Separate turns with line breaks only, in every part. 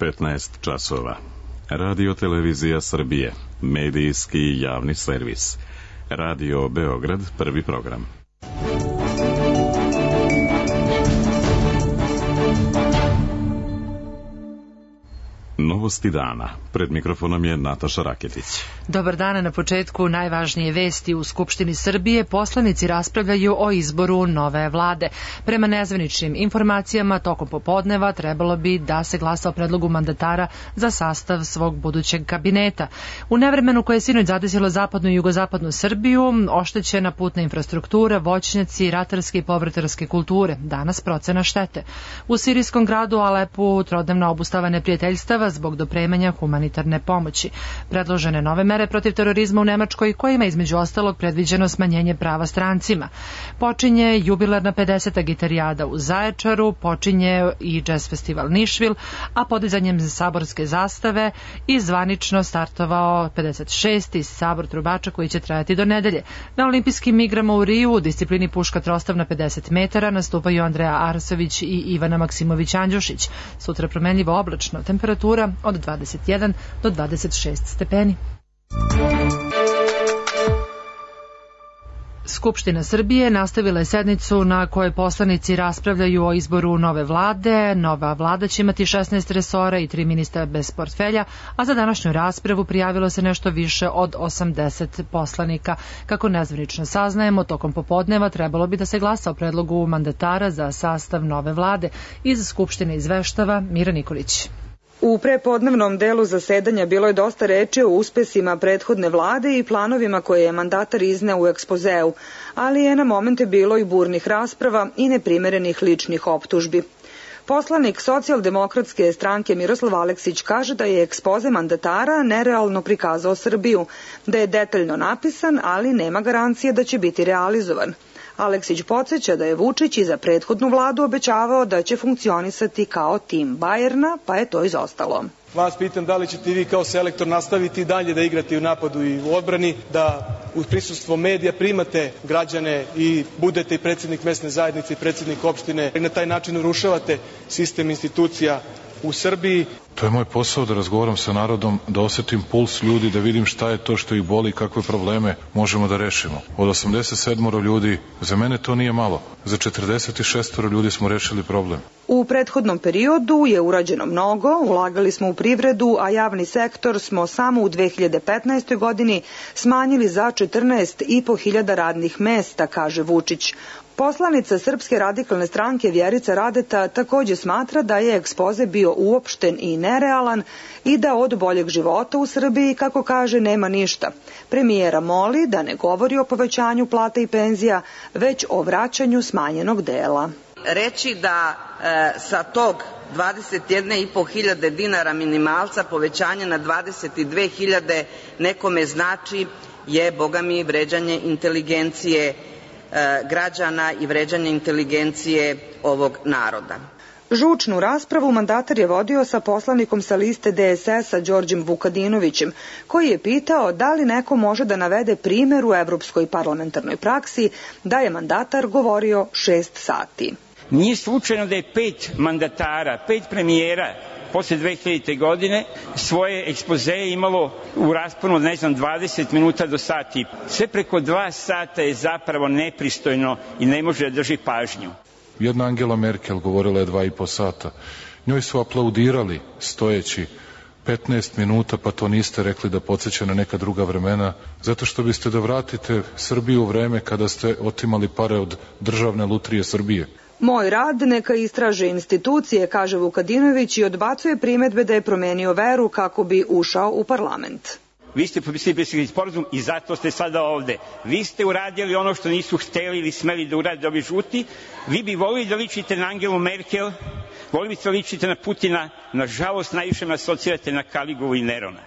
15 časova. Radio Televizija Srbije, medijski javni servis. Radio Beograd, prvi program. Novosti dana. Pred mikrofonom je Nataša Raketić.
Dobar dan. Na početku najvažnije vesti. U Skupštini Srbije poslanici raspravljaju o izboru nove vlade. Prema nezvaničnim informacijama, tokom popodneva trebalo bi da se glasa o predlogu mandatara za sastav svog budućeg kabineta. U nevremenu koje je sinoć zadesilo zapadnu i jugozapadnu Srbiju, oštećena putna infrastruktura, voćnjaci, ratarske i povrtarske kulture. Danas procena štete. U sirijskom gradu Alepu trodnevna obustava neprijateljstava zbog dopremanja humanitarne pomoći. Predložene nove mere protiv terorizma u Nemačkoj, kojima je između ostalog predviđeno smanjenje prava strancima. Počinje jubilarna 50. gitarijada u Zaječaru, počinje i jazz festival Nišvil, a podizanjem saborske zastave i zvanično startovao 56. sabor trubača koji će trajati do nedelje. Na olimpijskim igrama u Riju u disciplini puška trostav na 50 metara nastupaju Andreja Arsović i Ivana Maksimović-Andjušić. Sutra promenljivo oblačno, temperatura od 21 do 26 stepeni. Skupština Srbije nastavila je sednicu na kojoj poslanici raspravljaju o izboru nove vlade. Nova vlada će imati 16 resora i 3 ministra bez portfelja, a za današnju raspravu prijavilo se nešto više od 80 poslanika. Kako nezvanično saznajemo, tokom popodneva trebalo bi da se glasa o predlogu mandatara za sastav nove vlade. Iz Skupštine izveštava Mira Nikolić.
U prepodnevnom delu zasedanja bilo je dosta reči o uspesima prethodne vlade i planovima koje je mandatar izneo u ekspozeu, ali je na momente bilo i burnih rasprava i neprimerenih ličnih optužbi. Poslanik Socijaldemokratske stranke Miroslav Aleksić kaže da je ekspoze mandatara nerealno prikazao Srbiju, da je detaljno napisan, ali nema garancije da će biti realizovan. Aleksić podsjeća da je Vučić i za prethodnu vladu obećavao da će funkcionisati kao tim Bajerna, pa je to izostalo.
Vas pitam da li ćete vi kao selektor nastaviti dalje da igrate u napadu i u odbrani, da uz prisustvo medija primate građane i budete i predsjednik mesne zajednice i predsjednik opštine i na taj način urušavate sistem institucija u Srbiji.
To je moj posao da razgovaram sa narodom, da osetim puls ljudi, da vidim šta je to što ih boli i kakve probleme možemo da rešimo. Od 87 ljudi, za mene to nije malo. Za 46 ljudi smo rešili problem.
U prethodnom periodu je urađeno mnogo, ulagali smo u privredu, a javni sektor smo samo u 2015. godini smanjili za 14.500 radnih mesta, kaže Vučić. Poslanica Srpske radikalne stranke Vjerica Radeta takođe smatra da je ekspoze bio uopšten i nerealan i da od boljeg života u Srbiji, kako kaže, nema ništa. Premijera moli da ne govori o povećanju plata i penzija, već o vraćanju smanjenog dela.
Reći da sa tog 21.500 dinara minimalca povećanje na 22.000 nekome znači je, boga mi, vređanje inteligencije građana i vređanje inteligencije ovog naroda.
Žučnu raspravu mandatar je vodio sa poslanikom sa liste DSS-a Đorđem Vukadinovićem, koji je pitao da li neko može da navede primer u evropskoj parlamentarnoj praksi da je mandatar govorio 6 sati.
Nije slučajno da je 5 mandatara, 5 premijera posle 2000. godine svoje ekspozee imalo u rasponu od 20 minuta do sati. Sve preko 2 sata je zapravo nepristojno i ne može da drži pažnju.
Jedna Angela Merkel govorila je 2,5 sata. Njoj su aplaudirali stojeći 15 minuta, pa to niste rekli da podsjeća na neka druga vremena, zato što biste da vratite Srbiju u vreme kada ste otimali pare od Državne lutrije Srbije.
Moj rad neka istraže institucije, kaže Vukadinović i odbacuje primedbe da je promenio veru kako bi ušao u parlament.
Vi ste potpisali sporazum i zato ste sada ovde. Vi ste uradili ono što nisu hteli ili smeli da urade ovi žuti. Vi bi volili da ličite na Angelu Merkel, volili biste da ličite na Putina, nažalost najviše me asocirate na Kaligulu i Nerona.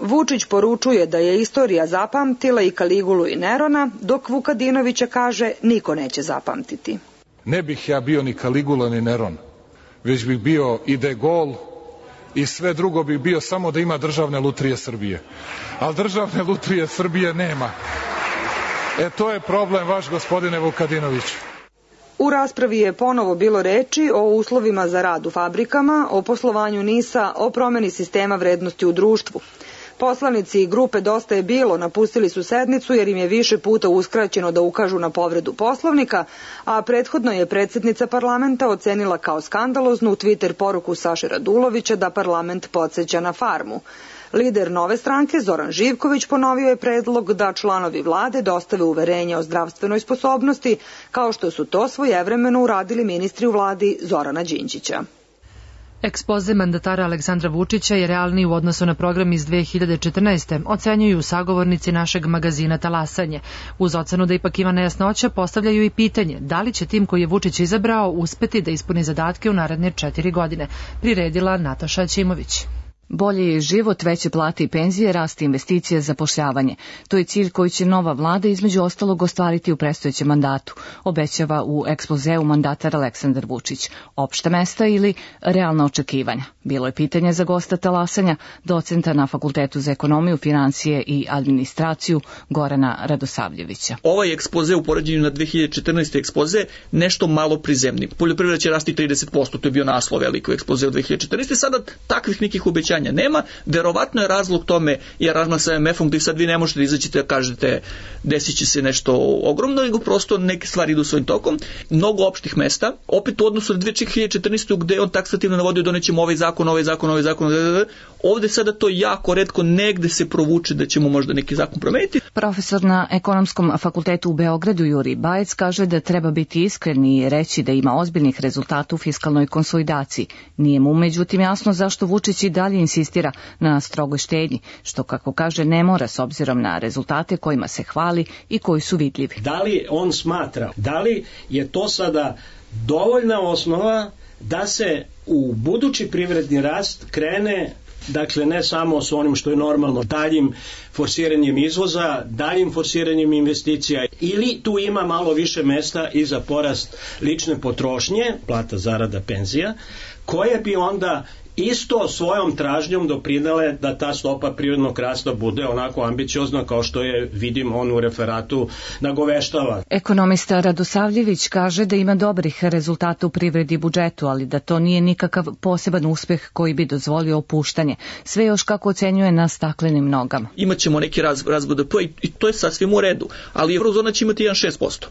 Vučić poručuje da je istorija zapamtila i Kaligulu i Nerona, dok Vukadinovića kaže niko neće zapamtiti.
Ne bih ja bio ni Kaligula ni Neron, već bih bio i De Gaulle i sve drugo bih bio samo da ima Državne lutrije Srbije. Ali Državne lutrije Srbije nema. To je problem vaš, gospodine Vukadinović.
U raspravi je ponovo bilo reči o uslovima za rad u fabrikama, o poslovanju NIS-a, o promeni sistema vrednosti u društvu. Poslanici grupe Dosta je bilo napustili su sednicu jer im je više puta uskraćeno da ukažu na povredu Poslovnika, a prethodno je predsjednica parlamenta ocenila kao skandaloznu Twitter poruku Saše Radulovića da parlament podsjeća na farmu. Lider Nove stranke Zoran Živković ponovio je predlog da članovi vlade dostave uverenje o zdravstvenoj sposobnosti, kao što su to svojevremeno uradili ministri u vladi Zorana Đinđića.
Ekspoze mandatara Aleksandra Vučića je realniji u odnosu na program iz 2014. ocenjuju sagovornici našeg magazina Talasanje. Uz ocenu da ipak ima nejasnoća, postavljaju i pitanje da li će tim koji je Vučić izabrao uspeti da ispuni zadatke u naredne 4 godine, priredila Nataša Ćimović.
Bolji je život, veće plate i penzije, rast investicija, zapošljavanje. To je cilj koji će nova vlada između ostalog ostvariti u predstojećem mandatu, obećava u ekspozeu mandatar Aleksandar Vučić. Opšta mesta ili realna očekivanja? Bilo je pitanje za gosta Talasanja, docenta na Fakultetu za ekonomiju, financije i administraciju Gorana Radosavljevića.
Ovaj ekspoze u poređenju na 2014. ekspoze nešto malo prizemni. Poljoprivreda će rasti 30%, to je bio naslov veliko ekspoze u 2014. Sada takvih nekih obećanja nema, verovatno je razlog tome, jer razma sa MF-om gdje sad vi ne možete da izađete da kažete desit će se nešto ogromno, nego prosto neke stvari idu svojim tokom. Mnogo opštih mesta, opet u odnosu na 2014. gde on taksativno navodio donećemo ovaj zakon, ovde sada to jako retko negde se provuče da ćemo možda neki zakon promeniti.
Profesor na Ekonomskom fakultetu u Beogradu Jurij Bajec kaže da treba biti iskren i reći da ima ozbiljnih rezultata u fiskalnoj konsolidaciji. Nije mu međutim jasno zašto Vučić i dalje insistira na strogoj štednji, što kako kaže ne mora s obzirom na rezultate kojima se hvali i koji su vidljivi.
Da li on smatra, da li je to sada dovoljna osnova da se u budući privredni rast krene, dakle ne samo s onim što je normalno, daljim forsiranjem izvoza, daljim forsiranjem investicija, ili tu ima malo više mesta i za porast lične potrošnje, plata, zarada, penzija, koje bi onda isto svojom tražnjom doprinele da ta stopa privrednog rasta bude onako ambiciozna kao što je, vidim, on u referatu nagoveštava.
Ekonomista Radosavljević kaže da ima dobrih rezultata u privredi i budžetu, ali da to nije nikakav poseban uspeh koji bi dozvolio opuštanje. Sve još kako ocenjuje na staklenim nogama.
Imaćemo neki rast BDP i to je sasvim u redu, ali eurozona će imati 1,6%.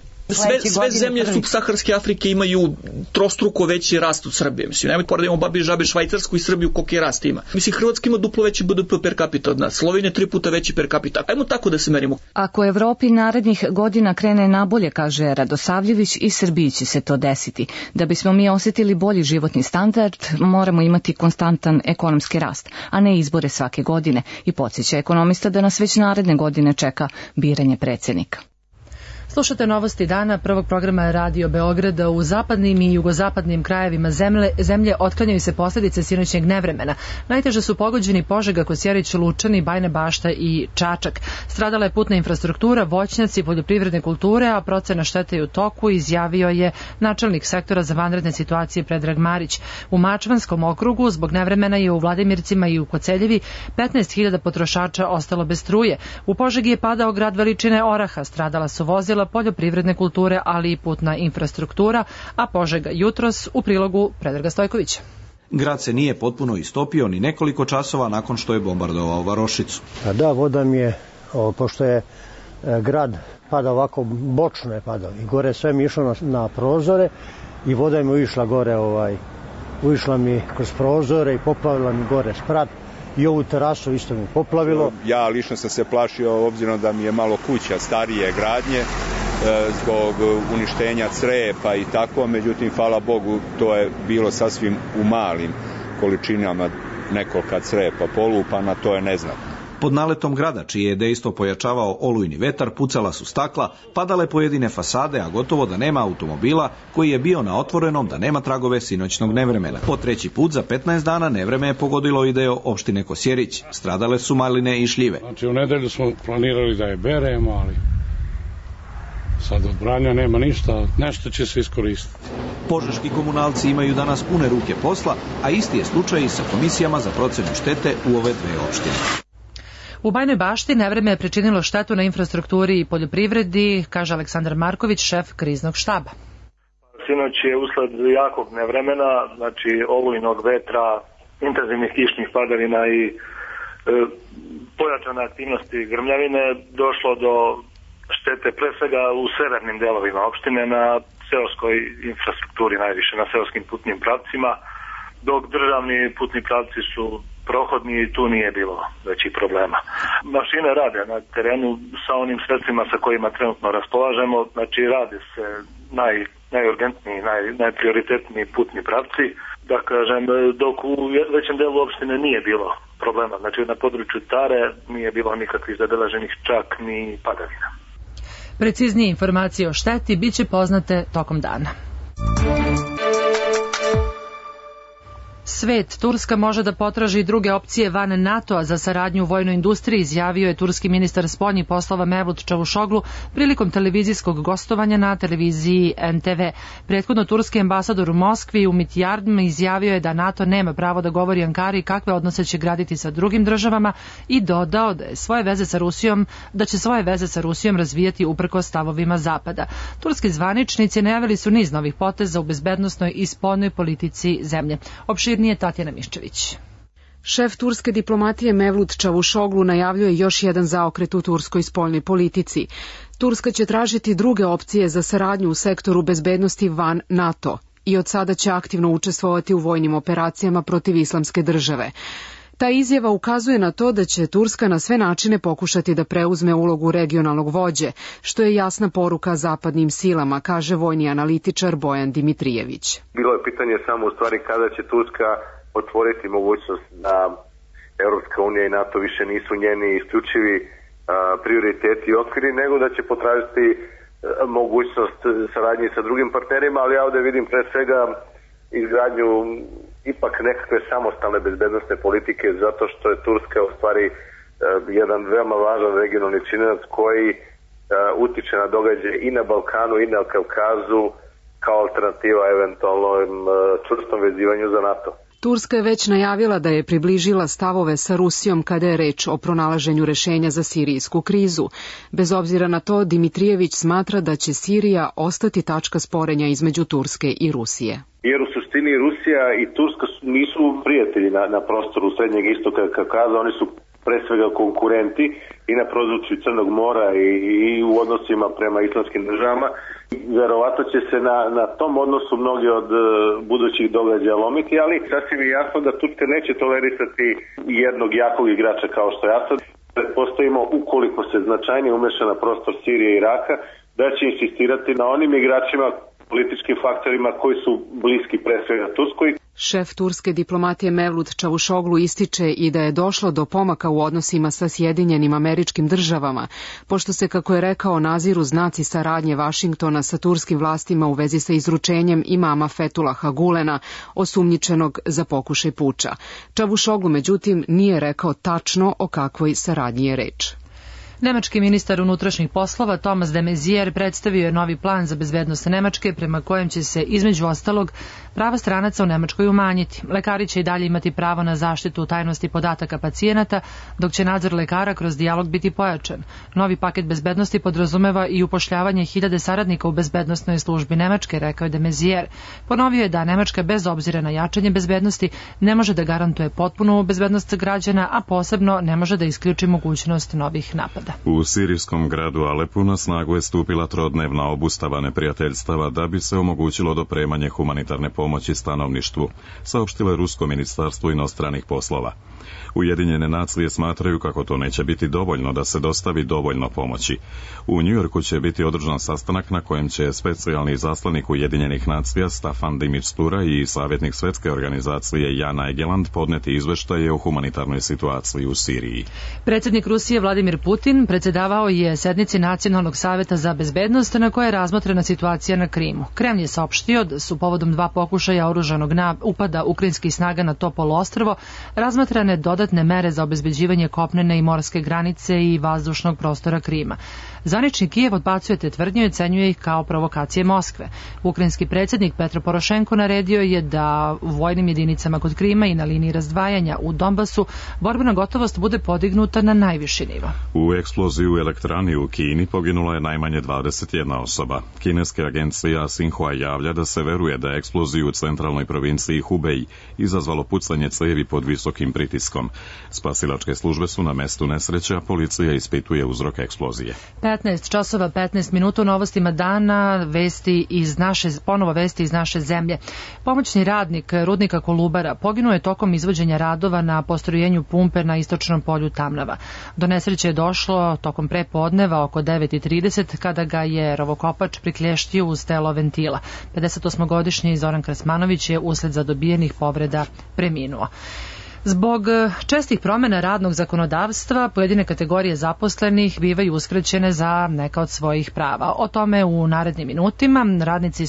Sve zemlje subsaharske Afrike imaju trostruko veći rast od Srbije. Mislim, nemojte poredimo babi i žabe Švajcarsku i Srbiju koliki je rast ima. Mislim, Hrvatska ima duplo veći BDP per capita od nas, Slovenija 3 puta veći per capita. Ajmo tako da se merimo.
Ako Evropi narednih godina krene nabolje, kaže Radosavljević, i Srbiji će se to desiti. Da bismo mi osjetili bolji životni standard, moramo imati konstantan ekonomski rast, a ne izbore svake godine, i podsjeća ekonomista da nas već naredne godine čeka biranje predsjednika.
Slušate novosti dana prvog programa Radio Beograda. U zapadnim i jugozapadnim krajevima zemlje otklanjaju se posljedice sinoćnjeg nevremena. Najteže su pogođeni Požega, Kosjerić, Lučani, Bajina Bašta i Čačak. Stradala je putna infrastruktura, voćnjaci, poljoprivredne kulture, a procena štete je u toku, izjavio je načelnik sektora za vanredne situacije Predrag Marić. U Mačvanskom okrugu zbog nevremena je u Vladimircima i u Koceljevi 15.000 potrošača ostalo bez struje. U Požegi je padao grad veličine oraha, stradala su vozila, poljoprivredne kulture, ali i putna infrastruktura, a Požega jutros u prilogu Predraga Stojkovića.
Grad se nije potpuno istopio ni nekoliko časova nakon što je bombardovao varošicu.
Da, voda mi je, pošto je grad pada ovako, bočno je padao i gore sve mi išlo na prozore i voda mi ušla gore, ušla mi kroz prozore i poplavila mi gore sprat. I ovu terasu isto mi poplavilo.
Ja lično sam se plašio, obzirom da mi je malo kuća starije gradnje, zbog uništenja crepa i tako, međutim, hvala Bogu, to je bilo sasvim u malim količinama, nekolika crepa polupana, to je neznatno.
Pod naletom grada, čiji je dejstvo pojačavao olujni vetar, pucala su stakla, padale pojedine fasade, a gotovo da nema automobila koji je bio na otvorenom, da nema tragove sinoćnog nevremena. Po treći put za 15 dana nevreme je pogodilo i deo opštine Kosjerić. Stradale su maline i šljive.
Znači, u nedelju smo planirali da je beremo, ali sad od branja nema ništa, nešto će se iskoristiti.
Požeški komunalci imaju danas pune ruke posla, a isti je slučaj i sa komisijama za procenu štete u ove dve opštine.
U Bajnoj Bašti nevreme je pričinilo štetu na infrastrukturi i poljoprivredi, kaže Aleksandar Marković, šef kriznog štaba.
sinoć je usled jakog nevremena, znači olujnog vetra, intenzivnih kišnih padavina i pojačane aktivnosti grmljavine došlo do štete pre svega u severnim delovima opštine na seoskoj infrastrukturi, najviše na seoskim putnim pravcima, dok državni putni pravci su prohodni i tu nije bilo većih problema. Mašine rade na terenu sa onim sredstvima sa kojima trenutno raspolažemo, znači rade se najurgentniji, najprioritetniji putni pravci, da kažem, dok u većem delu opštine nije bilo problema, znači na području Tare nije bilo nikakvih zabeleženih čak ni padavina.
Preciznije informacije o šteti biće poznate tokom dana. Svet, Turska može da potraži druge opcije van NATO-a za saradnju u vojnoj industriji, izjavio je turski ministar spoljnih poslova Mevlut Čavuşoglu prilikom televizijskog gostovanja na televiziji NTV. Prethodno turski ambasador u Moskvi Umit Yardm izjavio je da NATO nema pravo da govori Ankari kakve odnose će graditi sa drugim državama i dodao da će svoje veze sa Rusijom razvijati uprkos stavovima Zapada. Turski zvaničnici najavili su niz novih poteza u bezbednosnoj i spoljnoj politici zemlje. Opširnije Tatjana Miščević.
Šef turske diplomatije Mevlut Čavuşoglu najavljuje još jedan zaokret u turskoj spoljnoj politici. Turska će tražiti druge opcije za saradnju u sektoru bezbednosti van NATO i od sada će aktivno učestvovati u vojnim operacijama protiv islamske države. Ta izjava ukazuje na to da će Turska na sve načine pokušati da preuzme ulogu regionalnog vođe, što je jasna poruka zapadnim silama, kaže vojni analitičar Bojan Dimitrijević.
Bilo je pitanje samo u stvari kada će Turska otvoriti mogućnost da Europska unija i NATO više nisu njeni isključivi prioriteti i okviri, nego da će potražiti mogućnost saradnje sa drugim partnerima, ali ja ovde vidim pre svega izgradnju ipak nekakve samostalne bezbednosne politike, zato što je Turska u stvari jedan veoma važan regionalni činilac koji utiče na događaje i na Balkanu i na Kavkazu kao alternativa eventualnom čvrstom vezivanju za NATO.
Turska je već najavila da je približila stavove sa Rusijom kada je reč o pronalaženju rešenja za sirijsku krizu. Bez obzira na to, Dimitrijević smatra da će Sirija ostati tačka sporenja između Turske i Rusije.
Jer u suštini Rusija i Turska nisu prijatelji na prostoru Srednjeg istoka Kavkaza, oni su pre svega konkurenti i na području Crnog mora i u odnosima prema islamskim državama. Verovatno će se na tom odnosu mnogi od budućih događaja lomiti, ali sasvim je jasno da Turska neće tolerisati jednog jakog igrača kao što je Asad. Postojimo, ukoliko se značajnije umeša na prostor Sirije i Iraka, da će insistirati na onim igračima, političkim faktorima koji su bliski pre svega Turskoj.
Šef turske diplomatije Mevlut Čavuşoglu ističe i da je došlo do pomaka u odnosima sa Sjedinjenim Američkim Državama, pošto se, kako je rekao, naziru znaci saradnje Vašingtona sa turskim vlastima u vezi sa izručenjem imama Fetulaha Gulena, osumnjičenog za pokušaj puča. Čavuşoglu, međutim, nije rekao tačno o kakvoj saradnji je reč.
Nemački ministar unutrašnjih poslova Thomas de Maizière predstavio je novi plan za bezbednost Nemačke prema kojem će se, između ostalog, prava stranaca u Nemačkoj umanjiti. Lekari će i dalje imati pravo na zaštitu tajnosti podataka pacijenata, dok će nadzor lekara kroz dijalog biti pojačan. Novi paket bezbednosti podrazumeva i upošljavanje 1000 saradnika u bezbednosnoj službi Nemačke, rekao je de Maizière. Ponovio je da Nemačka bez obzira na jačanje bezbednosti ne može da garantuje potpunu bezbednost građana, a posebno ne može da isključi mogućnost novih napada.
U sirijskom gradu Alepu na snagu je stupila trodnevna obustava neprijateljstava da bi se omogućilo dopremanje humanitarne pomoći stanovništvu, saopštilo je Rusko ministarstvo inostranih poslova. Ujedinjene nacije smatraju kako to neće biti dovoljno da se dostavi dovoljno pomoći. U Njujorku će biti održan sastanak na kojem će specijalni izaslanik Ujedinjenih nacija Staffan de Mistura i savjetnik Svjetske organizacije Jan Egeland podneti izveštaje o humanitarnoj situaciji u Siriji.
Predsjednik Rusije Vladimir Putin predsjedavao je sednici Nacionalnog savjeta za bezbednost na kojoj je razmotrena situacija na Krimu. Kremlj je saopštio da su povodom 2 pokušaja oružanog upada ukrajinskih snaga na to poluostrvo razmatrane dodatne mere za obezbeđivanje kopnene i morske granice i vazdušnog prostora Krima. Zvanični Kijev odbacuje te tvrdnje i ocenjuje ih kao provokacije Moskve. Ukrajinski predsjednik Petro Porošenko naredio je da u vojnim jedinicama kod Krima i na liniji razdvajanja u Donbasu borbena gotovost bude podignuta na najviši nivo.
U eksploziju u elektrani u Kini poginula je najmanje 21 osoba. Kineska agencija Xinhua javlja da se veruje da je eksploziju u centralnoj provinciji Hubei izazvalo pucanje cevi pod visokim pritiskom. Spasilačke službe su na mestu nesreća, policija ispituje uzrok eksplozije.
15 časova 15 minuta u novostima dana, ponovo vesti iz naše zemlje. Pomoćni radnik rudnika Kolubara poginuo je tokom izvođenja radova na postrojenju pumpe na istočnom polju Tamnava. Do nesreće je došlo tokom prepodneva oko 9:30 kada ga je rovokopač priklještio uz telo ventila. 58-godišnji Zoran Krasmanović je usled zadobijenih povreda preminuo. Zbog čestih promjena radnog zakonodavstva, pojedine kategorije zaposlenih bivaju uskraćene za neka od svojih prava. O tome u narednim minutima. Radnici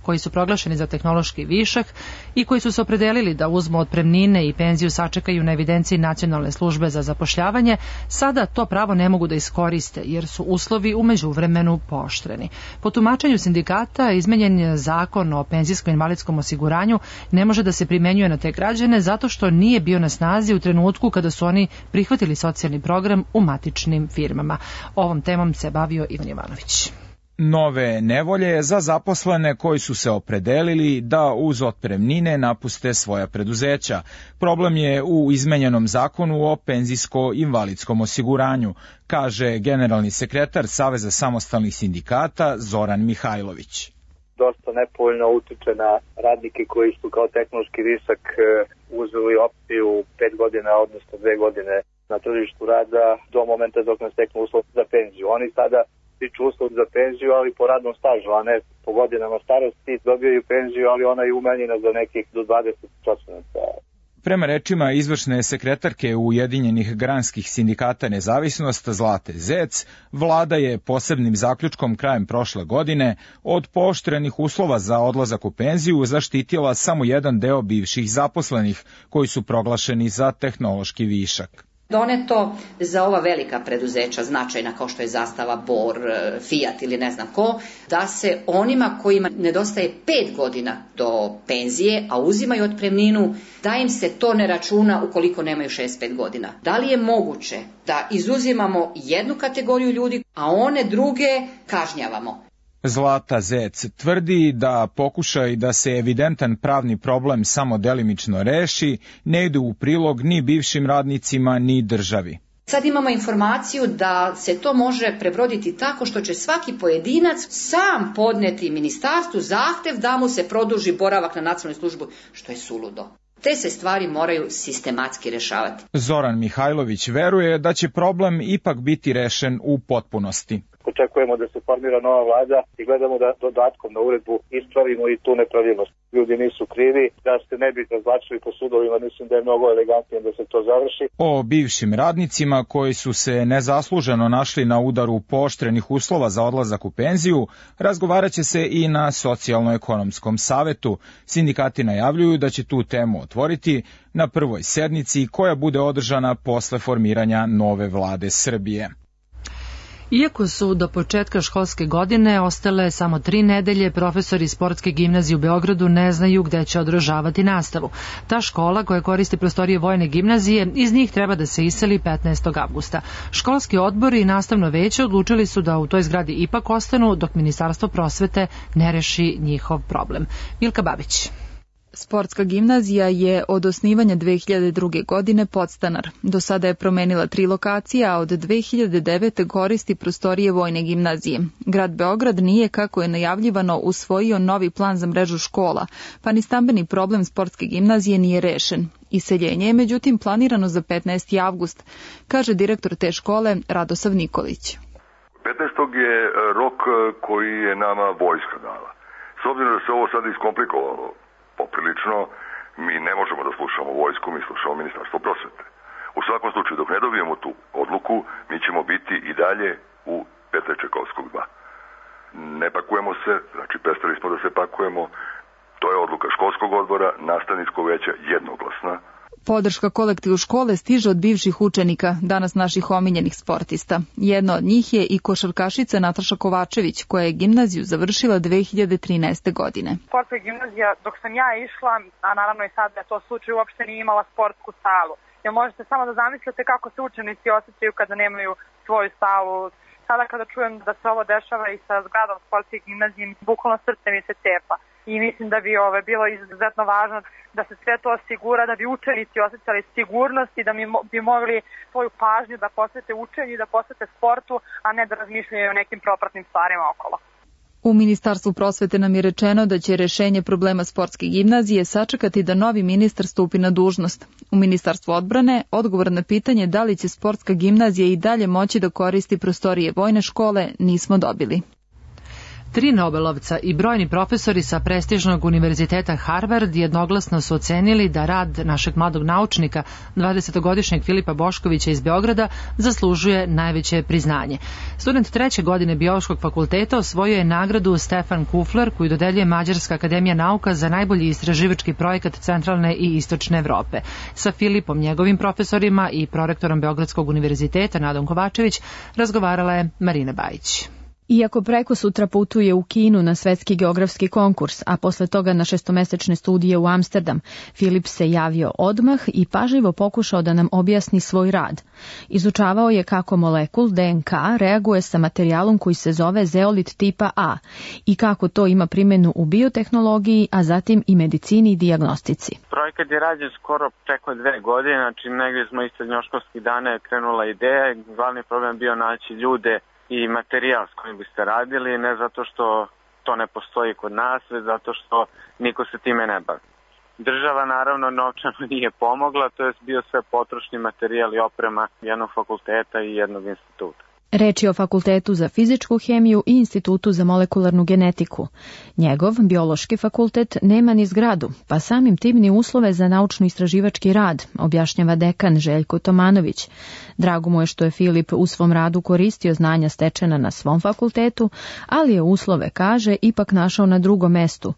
koji su proglašeni za tehnološki višak i koji su se opredelili da uzmu otpremnine i penziju sačekaju na evidenciji Nacionalne službe za zapošljavanje, sada to pravo ne mogu da iskoriste jer su uslovi u međuvremenu pooštreni. Po tumačenju sindikata, izmenjen zakon o penzijskom invalidskom osiguranju ne može da se primenjuje na te građane zato što nije bio na snazi u trenutku kada su oni prihvatili socijalni program u matičnim firmama. Ovom temom se bavio Ivan Jovanović.
Nove nevolje za zaposlene koji su se opredelili da uz otpremnine napuste svoja preduzeća. Problem je u izmenjenom zakonu o penzijsko-invalidskom osiguranju, kaže generalni sekretar Saveza samostalnih sindikata Zoran Mihajlović.
Dosta nepovoljno utiče na radnike koji su kao tehnološki višak uzeli opciju 5 godina, odnosno 2 godine na tržištu rada do momenta dok ne steknu uslov za penziju. Oni sada stiču uslov za penziju, ali po radnom stažu, a ne po godinama starosti. Dobijaju penziju, ali ona je umanjena za nekih do 20%.
Prema rečima izvršne sekretarke Ujedinjenih granskih sindikata Nezavisnost Zlate Zec, vlada je posebnim zaključkom krajem prošle godine od pooštrenih uslova za odlazak u penziju zaštitila samo jedan deo bivših zaposlenih koji su proglašeni za tehnološki višak.
Doneto za ova velika preduzeća značajna kao što je Zastava, Bor, Fiat ili ne znam ko, da se onima kojima nedostaje 5 godina do penzije, a uzimaju otpremninu, da im se to ne računa ukoliko nemaju 65 godina. Da li je moguće da izuzimamo jednu kategoriju ljudi, a one druge kažnjavamo?
Zlata Zec tvrdi da pokušaj da se evidentan pravni problem samo delimično reši ne ide u prilog ni bivšim radnicima ni državi.
Sad imamo informaciju da se to može prebroditi tako što će svaki pojedinac sam podneti ministarstvu zahtev da mu se produži boravak na nacionalnoj službi, što je suludo. Te se stvari moraju sistematski rešavati.
Zoran Mihajlović veruje da će problem ipak biti rešen u potpunosti.
Očekujemo da se formira nova vlada i gledamo da dodatkom na uredbu ispravimo i tu nepravilnost. Ljudi nisu krivi, da se ne bi razvlačili po sudovima, mislim da je mnogo elegantnije da se to završi.
O bivšim radnicima koji su se nezasluženo našli na udaru pooštrenih uslova za odlazak u penziju, razgovarat će se i na Socijalno-ekonomskom savetu. Sindikati najavljuju da će tu temu otvoriti na prvoj sednici koja bude održana posle formiranja nove vlade Srbije.
Iako su do početka školske godine ostale samo 3 nedelje, profesori Sportske gimnazije u Beogradu ne znaju gde će održavati nastavu. Ta škola, koja koristi prostorije Vojne gimnazije, iz njih treba da se iseli 15. avgusta. Školski odbor i nastavno veće odlučili su da u toj zgradi ipak ostanu dok Ministarstvo prosvete ne reši njihov problem. Milka Babić.
Sportska gimnazija je od osnivanja 2002. godine podstanar. Do sada je promenila 3 lokacije, a od 2009. koristi prostorije Vojne gimnazije. Grad Beograd nije, kako je najavljivano, usvojio novi plan za mrežu škola, pa ni stambeni problem Sportske gimnazije nije rešen. Iseljenje je međutim planirano za 15. avgust, kaže direktor te škole Radosav Nikolić.
15. je rok koji je nama vojska dala. S obzirom da se ovo sad iskomplikovalo poprilično, mi ne možemo da slušamo vojsku, mi slušamo Ministarstvo prosvete. U svakom slučaju, dok ne dobijemo tu odluku, mi ćemo biti i dalje u Petra Čajkovskog 2. Ne pakujemo se, znači prestali smo da se pakujemo, to je odluka školskog odbora, nastavničkog veća jednoglasna.
Podrška kolektivu škole stiže od bivših učenika, danas naših omiljenih sportista. Jedna od njih je i košarkašica Nataša Kovačević, koja je gimnaziju završila 2013. godine.
Sportska gimnazija, dok sam ja išla, a naravno i sad je to slučaj, uopšte nije imala sportsku salu.
jer možete samo da zamislite kako se učenici osjećaju kada nemaju svoju salu. Sada kada čujem da se ovo dešava i sa zgradom sportske gimnazije, bukvalno srce mi se cepa. I mislim da bi bilo izuzetno važno da se sve to osigura, da bi učenici osjećali sigurnost i da bi mogli svoju pažnju da posvete učenju i da posvete sportu, a ne da razmišljaju o nekim propratnim stvarima okolo.
U Ministarstvu prosvete nam je rečeno da će rešenje problema sportske gimnazije sačekati da novi ministar stupi na dužnost. U Ministarstvu odbrane odgovor na pitanje da li će sportska gimnazija i dalje moći da koristi prostorije vojne škole nismo dobili.
3 Nobelovca i brojni profesori sa prestižnog univerziteta Harvard jednoglasno su ocenili da rad našeg mladog naučnika, 20-godišnjeg Filipa Boškovića iz Beograda, zaslužuje najveće priznanje. Student 3. godine Biološkog fakulteta osvojio je nagradu Stefan Kufler, koju dodeljuje Mađarska akademija nauka za najbolji istraživački projekat Centralne i Istočne Evrope. Sa Filipom, njegovim profesorima i prorektorom Beogradskog univerziteta Nadom Kovačević razgovarala je Marina Bajić.
Iako preko sutra putuje u Kinu na svetski geografski konkurs, a posle toga na 6-mesečne studije u Amsterdam, Filip se javio odmah i pažljivo pokušao da nam objasni svoj rad. Izučavao je kako molekul DNK reaguje sa materijalom koji se zove zeolit tipa A i kako to ima primjenu u biotehnologiji, a zatim i medicini i dijagnostici.
Projekat je rađen skoro preko 2 godine, znači negdje smo iz srednjoškolskih dana je krenula ideja. Glavni problem bio naći ljude i materijal s kojim biste radili, ne zato što to ne postoji kod nas, već zato što niko se time ne bavi. Država naravno novčano nije pomogla, to je bio sve potrošni materijal i oprema jednog fakulteta i jednog instituta.
Reč je o Fakultetu za fizičku hemiju i Institutu za molekularnu genetiku. Njegov biološki fakultet nema ni zgradu, pa samim tim ni uslove za naučno-istraživački rad, objašnjava dekan Željko Tomanović. Drago mu je što je Filip u svom radu koristio znanja stečena na svom fakultetu, ali je uslove, kaže, ipak našao na drugom mestu.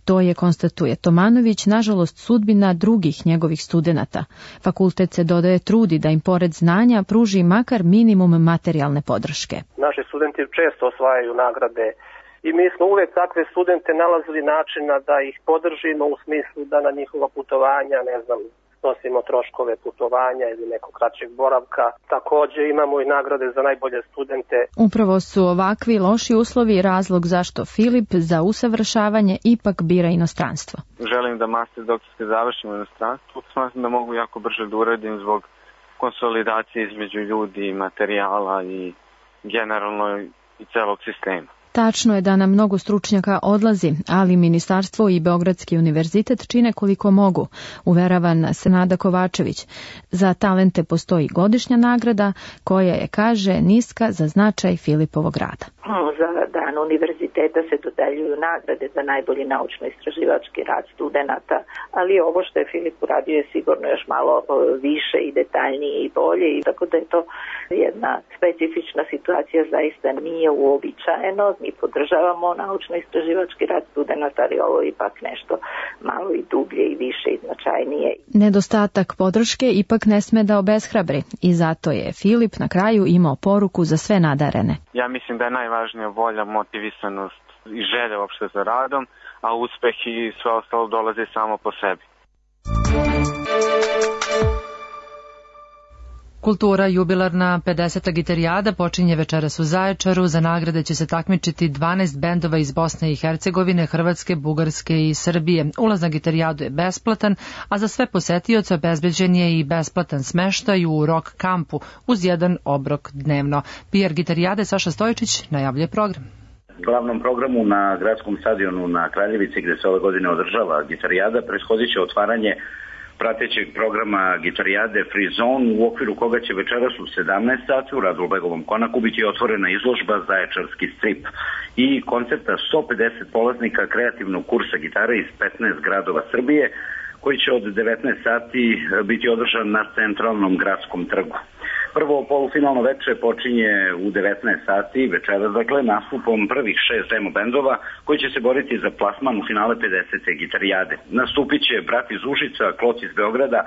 To je, konstatuje Tomanović, nažalost sudbina drugih njegovih studenata. Fakultet se, dodaje, trudi da im pored znanja pruži makar minimum materijalne podrške.
Naši studenti često osvajaju nagrade i mi smo uvek takve studente nalazili načina da ih podržimo u smislu da na njihova putovanja, snosimo troškove putovanja ili nekog kraćeg boravka. Također imamo i nagrade za najbolje studente.
Upravo su ovakvi loši uslovi razlog zašto Filip za usavršavanje ipak bira inostranstvo.
Želim da master doktorske završim u inostranstvu. Smatram da mogu jako brže da uradim zbog konsolidacije između ljudi i materijala i generalno i celog sistema.
Tačno je da nam mnogo stručnjaka odlazi, ali Ministarstvo i Beogradski univerzitet čine koliko mogu, uverava nas Nada Kovačević. Za talente postoji godišnja nagrada koja je, kaže, niska za značaj Filipovog rada.
Za dan univerziteta se dodeljuju nagrade za najbolji naučno-istraživački rad studenata, ali ovo što je Filip uradio je sigurno još malo više i detaljnije i bolje, i tako da je to jedna specifična situacija, zaista nije uobičajeno. Mi podržavamo naučno-istraživački rad studenata, ali ovo je ipak nešto malo i dublje i više i značajnije.
Nedostatak podrške ipak ne sme da obeshrabri i zato je Filip na kraju imao poruku za sve nadarene.
Ja mislim da je najvažnija volja, motivisanost i želja uopšte za radom, a uspeh i sve ostalo dolazi samo po sebi.
Kultura jubilarna 50. gitarijada počinje večeras u Zaječaru. Za nagrade će se takmičiti 12 bendova iz Bosne i Hercegovine, Hrvatske, Bugarske i Srbije. Ulaz na gitarijadu je besplatan, a za sve posetioce obezbeđen je i besplatan smeštaj u rock kampu uz jedan obrok dnevno. PR gitarijade Saša Stojičić najavljuje program.
Glavnom programu na gradskom stadionu na Kraljevici, gde se ove godine održava gitarijada, prethodit će otvaranje pratećeg programa gitarijade Free Zone, u okviru koga će večeras u 17 sati u Radulbegovom konaku biti otvorena izložba Zaječarski strip i koncepta 150 polaznika kreativnog kursa gitare iz 15 gradova Srbije, koji će od 19 sati biti održan na centralnom gradskom trgu. Prvo polufinalno veče počinje u 19 sati večeras, dakle, nastupom prvih 6 demo bendova koji će se boriti za plasman u finale 50. gitarijade. Nastupit će Brat iz Užica, Kloc iz Beograda,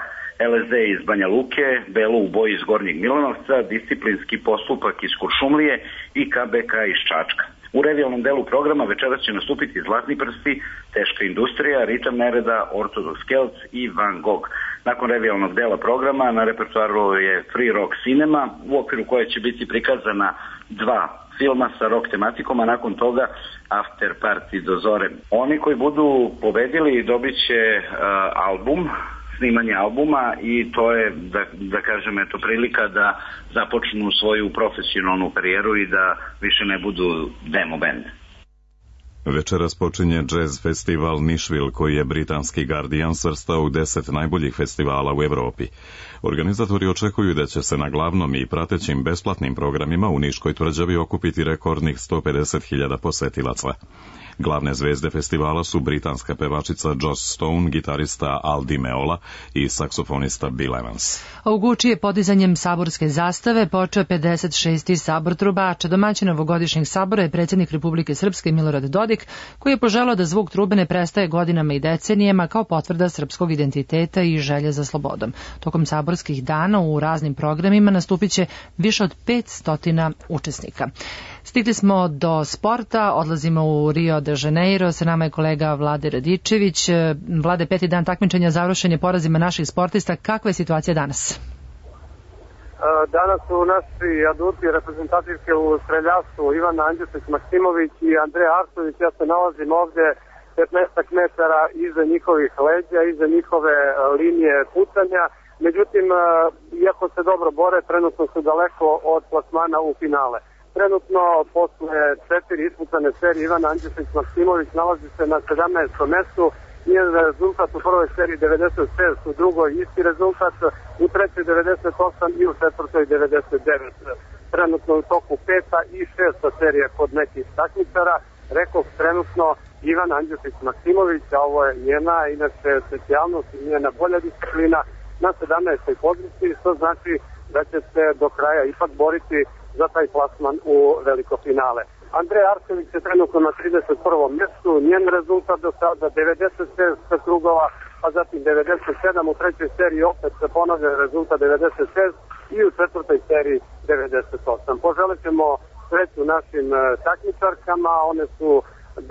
LSD iz Banja Luke, Belo u boji iz Gornjeg Milanovca, Disciplinski postupak iz Kuršumlije i KBK iz Čačka. U revijalnom delu programa večeras će nastupiti Zlatni prsti, Teška industrija, Ritam nereda, Ortodoks Kelc i Van Gogh. Nakon revijalnog dela programa na repertoaru je Free Rock Cinema, u okviru koje će biti prikazana 2 filma sa rock tematikom, a nakon toga After Party do zore. Oni koji budu pobedili dobit će album, snimanje albuma, i to je, da kažem, eto, prilika da započnu svoju profesionalnu karijeru i da više ne budu demo band.
Večeras počinje jazz festival Nashville, koji je britanski Guardian svrstao u 10 najboljih festivala u Evropi. Organizatori očekuju da će se na glavnom i pratećim besplatnim programima u Niškoj tvrđavi okupiti rekordnih 150.000 posetilaca. Glavne zvezde festivala su britanska pevačica Joss Stone, gitarista Al Di Meola i saksofonista Bill Evans.
U Guči je podizanjem saborske zastave počeo 56. sabor trubača. Domaćin ovogodišnjeg sabora je predsjednik Republike Srpske Milorad Dodik, koji je poželao da zvuk trube ne prestaje godinama i decenijama kao potvrda srpskog identiteta i želje za slobodom. Tokom saborskih dana u raznim programima nastupit će više od 500 učesnika. Stigli smo do sporta, odlazimo u Rio de Janeiro, sa nama je kolega Vlade Radičević. Vlade, 5. dan takmičenja završen je porazima naših sportista. Kakva je situacija danas?
Danas su naši aduti reprezentativke u streljaštvu Ivana Andjušić-Maksimović i Andreja Arsović. Ja se nalazim ovdje 15 metara iza njihovih leđa, iza njihove linije pucanja. Međutim, iako se dobro bore, trenutno su daleko od plasmana u finale. Trenutno, posle 4 ispucane serije, Ivana Andjušić-Maksimović nalazi se na 17. mestu. Njen rezultat u prvoj seriji 96, u drugoj isti rezultat, u trećoj 98 i u četvrtoj 99. Trenutno u toku 5. i 6. serije kod nekih takmičara. Rekao trenutno Ivana Andjušić-Maksimović, a ovo je njena, inače specijalnost i njena bolja disciplina, na 17. poziciji, što znači da će se do kraja ipak boriti za taj plasman u veliko finale. Andrej Arsević je trenutno na 31. mjestu, njen rezultat do sada 96 krugova, a zatim 97, u trećoj seriji opet se ponavlja rezultat 96 i u četvrtoj seriji 98. Poželit ćemo sreću našim takmičarkama, one su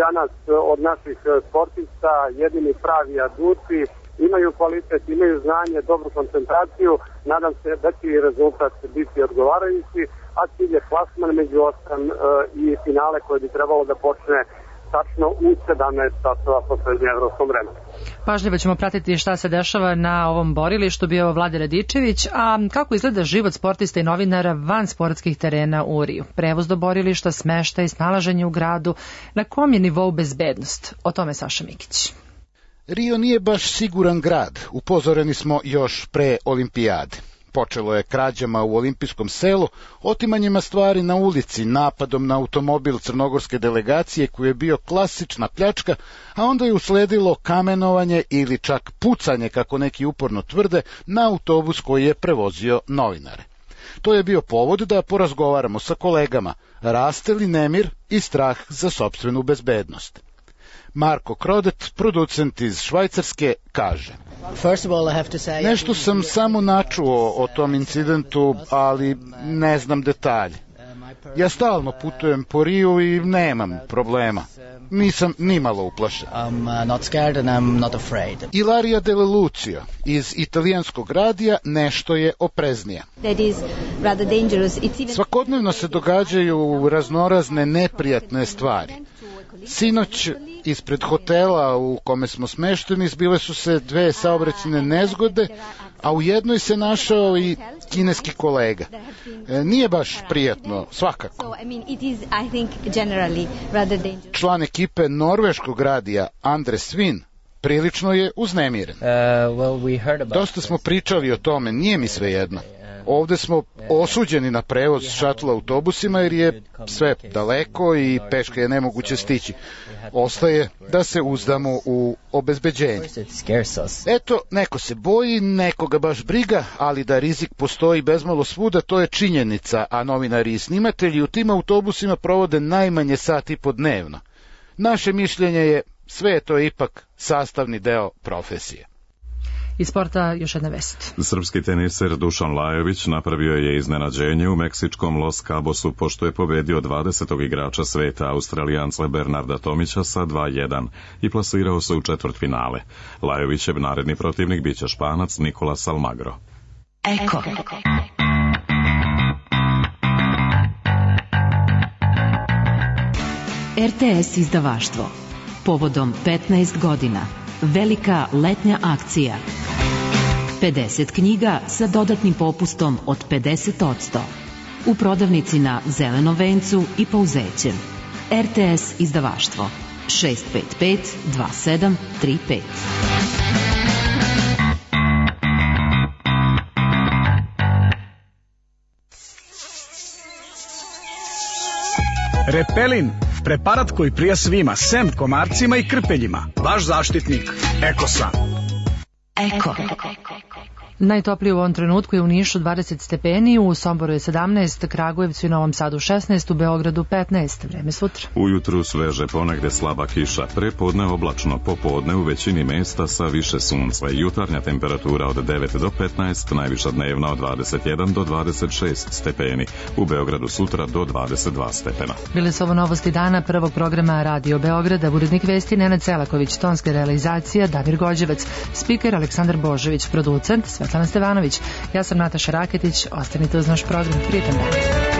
danas od naših sportista jedini pravi aduti, imaju kvalitet, imaju znanje, dobru koncentraciju, nadam se da će i rezultat biti odgovarajući, a cilj je plasman među 8 i finale koje bi trebalo da počne tačno u 17 časova po srednjeevropskom vremenu.
Pažljivo ćemo pratiti šta se dešava na ovom borilištu, bio Vlade Radičević, a kako izgleda život sportista i novinara van sportskih terena u Riju? Prevoz do borilišta, smeštaj, snalaženje u gradu, na kom je nivou bezbednost? O tome Saša Mikić.
Rio nije baš siguran grad, upozoreni smo još pre olimpijade. Počelo je krađama u olimpijskom selu, otimanjima stvari na ulici, napadom na automobil crnogorske delegacije koji je bio klasična pljačka, a onda je usledilo kamenovanje ili čak pucanje, kako neki uporno tvrde, na autobus koji je prevozio novinare. To je bio povod da porazgovaramo sa kolegama, raste li nemir i strah za sopstvenu bezbednost. Marko Krodet, producent iz Švajcarske, kaže: Nešto sam samo načuo o tom incidentu, ali ne znam detalje. Ja stalno putujem po Riju i nemam problema. Nisam nimalo uplašen. Ilaria Dele Lucio iz italijanskog radija nešto je opreznija. Svakodnevno se događaju raznorazne neprijatne stvari. Sinoć ispred hotela u kome smo smešteni zbile su se 2 saobraćajne nezgode, a u jednoj se našao i kineski kolega. Nije baš prijatno, svakako. Član ekipe norveškog radija Andre Svin prilično je uznemiren. Dosta smo pričali o tome, nije mi svejedno. Ovde smo osuđeni na prevoz šatla autobusima jer je sve daleko i peške je nemoguće stići. Ostaje da se uzdamo u obezbeđenje. Eto, neko se boji, nekoga baš briga, ali da rizik postoji bezmalo svuda, to je činjenica, a novinari i snimatelji u tim autobusima provode najmanje sat i po dnevno. Naše mišljenje je, sve je to ipak sastavni deo profesije.
Iz sporta još jedna vest.
Srpski teniser Dušan Lajović napravio je iznenađenje u meksičkom Los Cabosu pošto je pobedio 20. igrača sveta Australijanca Bernarda Tomića sa 2:1 i plasirao se u četvrtfinale. Lajovićev naredni protivnik biće Španac Nicolas Almagro.
Eko. RTS izdavaštvo. Povodom 15 godina. Velika letnja akcija. 50 knjiga sa dodatnim popustom od 50%. U prodavnici na Zelenom vencu i Pouzećem. RTS izdavaštvo. 655 2735.
Repelin, preparat koji prija svima, sem komarcima i krpeljima. Vaš zaštitnik, Ekosan.
Eko.
Najtoplije u ovom trenutku je u Nišu 20 stepeni, u Somboru je 17, Kragujevcu i Novom Sadu 16, u Beogradu 15. Vreme sutra.
Ujutru sveže, ponegde slaba kiša, prepodne oblačno, popodne u većini mesta sa više sunca. Jutarnja temperatura od 9 do 15, najviša dnevna od 21 do 26 stepeni. U Beogradu sutra do 22 stepena.
Bile su ovo novosti dana prvog programa Radio Beograda, urednik vesti Nenad Selaković, tonska realizacija Damir Gođevac, spiker Aleksandar Božović, producent Svetlana Stevanović. Ja sam Nataša Raketić, ostanite uz naš program. Prijetan dan.